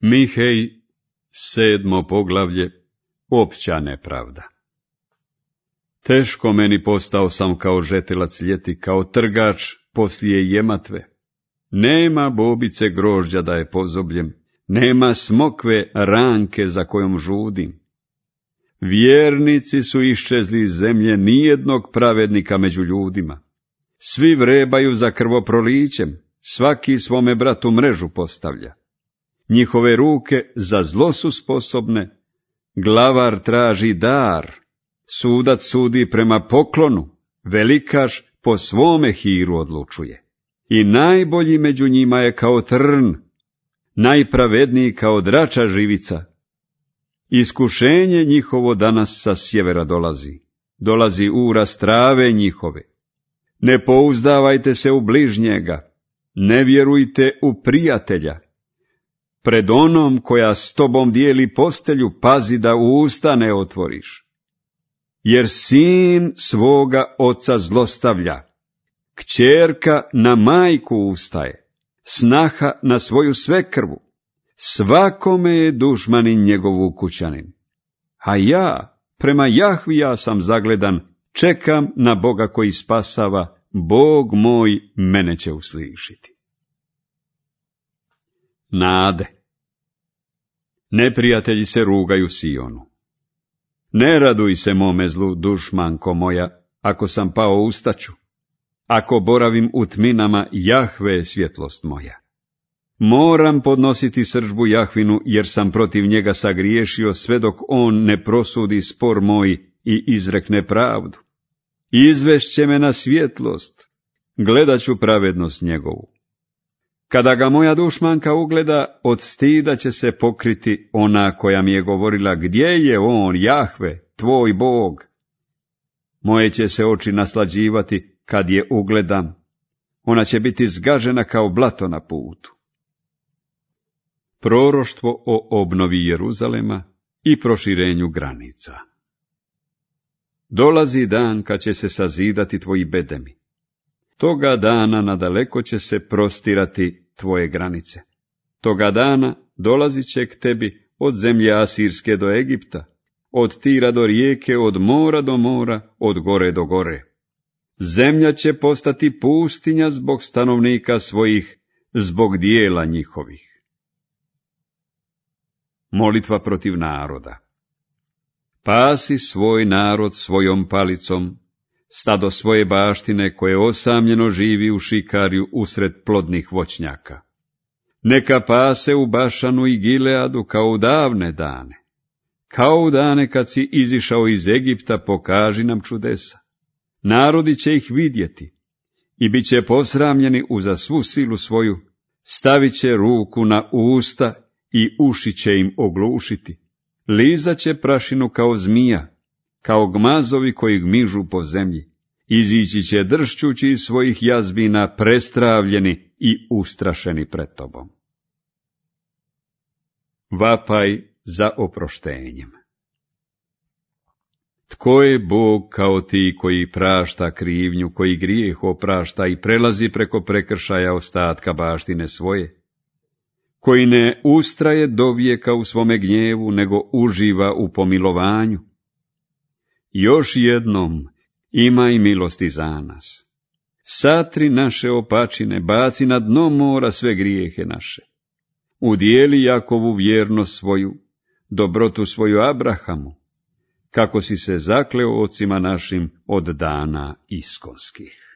Mihej, 7. poglavlje, opća nepravda. Teško meni postao sam kao žetelac ljeti, kao trgač poslije jematve. Nema bobice grožđa da je pozobljem, nema smokve ranke za kojom žudim. Vjernici su iščezli iz zemlje, nijednog pravednika među ljudima. Svi vrebaju za krvoprolićem, svaki svome bratu mrežu postavlja. Njihove ruke za zlo su sposobne, glavar traži dar, sudac sudi prema poklonu, velikaš po svome hiru odlučuje. I najbolji među njima je kao trn, najpravedniji kao drača živica. Iskušenje njihovo danas sa sjevera dolazi uraz trave njihove. Ne pouzdavajte se u bližnjega, ne vjerujte u prijatelja. Pred onom koja s tobom dijeli postelju, pazi da usta ne otvoriš. Jer sin svoga oca zlostavlja, kćerka na majku ustaje, snaha na svoju svekrvu, svakome je dušmanin njegov ukućanin. A ja, prema Jahvija sam zagledan, čekam na Boga koji spasava, Bog moj mene će uslišiti. Nade. Neprijatelji se rugaju Sionu. Ne raduj se mome zlu, dušmanko moja, ako sam pao ustaću. Ako boravim u tminama, Jahve je svjetlost moja. Moram podnositi srdžbu Jahvinu, jer sam protiv njega sagriješio, sve dok on ne prosudi spor moj i izrekne pravdu. Izvešće me na svjetlost, gledat ću pravednost njegovu. Kada ga moja dušmanka ugleda, od stida će se pokriti ona koja mi je govorila, gdje je on, Jahve, tvoj Bog? Moje će se oči naslađivati kad je ugledam. Ona će biti zgažena kao blato na putu. Proroštvo o obnovi Jeruzalema i proširenju granica. Dolazi dan kad će se sazidati tvoji bedemi. Toga dana nadaleko će se prostirati tvoje granice. Toga dana dolazit će k tebi od zemlje Asirske do Egipta, od Tira do rijeke, od mora do mora, od gore do gore. Zemlja će postati pustinja zbog stanovnika svojih, zbog dijela njihovih. Molitva protiv naroda. Pasi svoj narod svojom palicom, stado svoje baštine koje osamljeno živi u šikarju usred plodnih voćnjaka. Neka pase u Bašanu i Gileadu kao u davne dane. Kao u dane kad si izišao iz Egipta, pokaži nam čudesa. Narodi će ih vidjeti i bit će posramljeni uza svu silu svoju, stavit će ruku na usta i uši će im oglušiti. Lizat će prašinu kao zmija, kao gmazovi koji gmižu po zemlji. Izići će dršćući iz svojih jazbina, prestravljeni i ustrašeni pred tobom. Vapaj za oproštenjem. Tko je Bog kao ti koji prašta krivnju, koji grijeh oprašta i prelazi preko prekršaja ostatka baštine svoje? Koji ne ustraje dovijeka u svome gnjevu, nego uživa u pomilovanju? Još jednom imaj milosti za nas. Satri naše opačine, baci na dno mora sve grijehe naše. Udijeli Jakovu vjernost svoju, dobrotu svoju Abrahamu, kako si se zakleo ocima našim od dana iskonskih.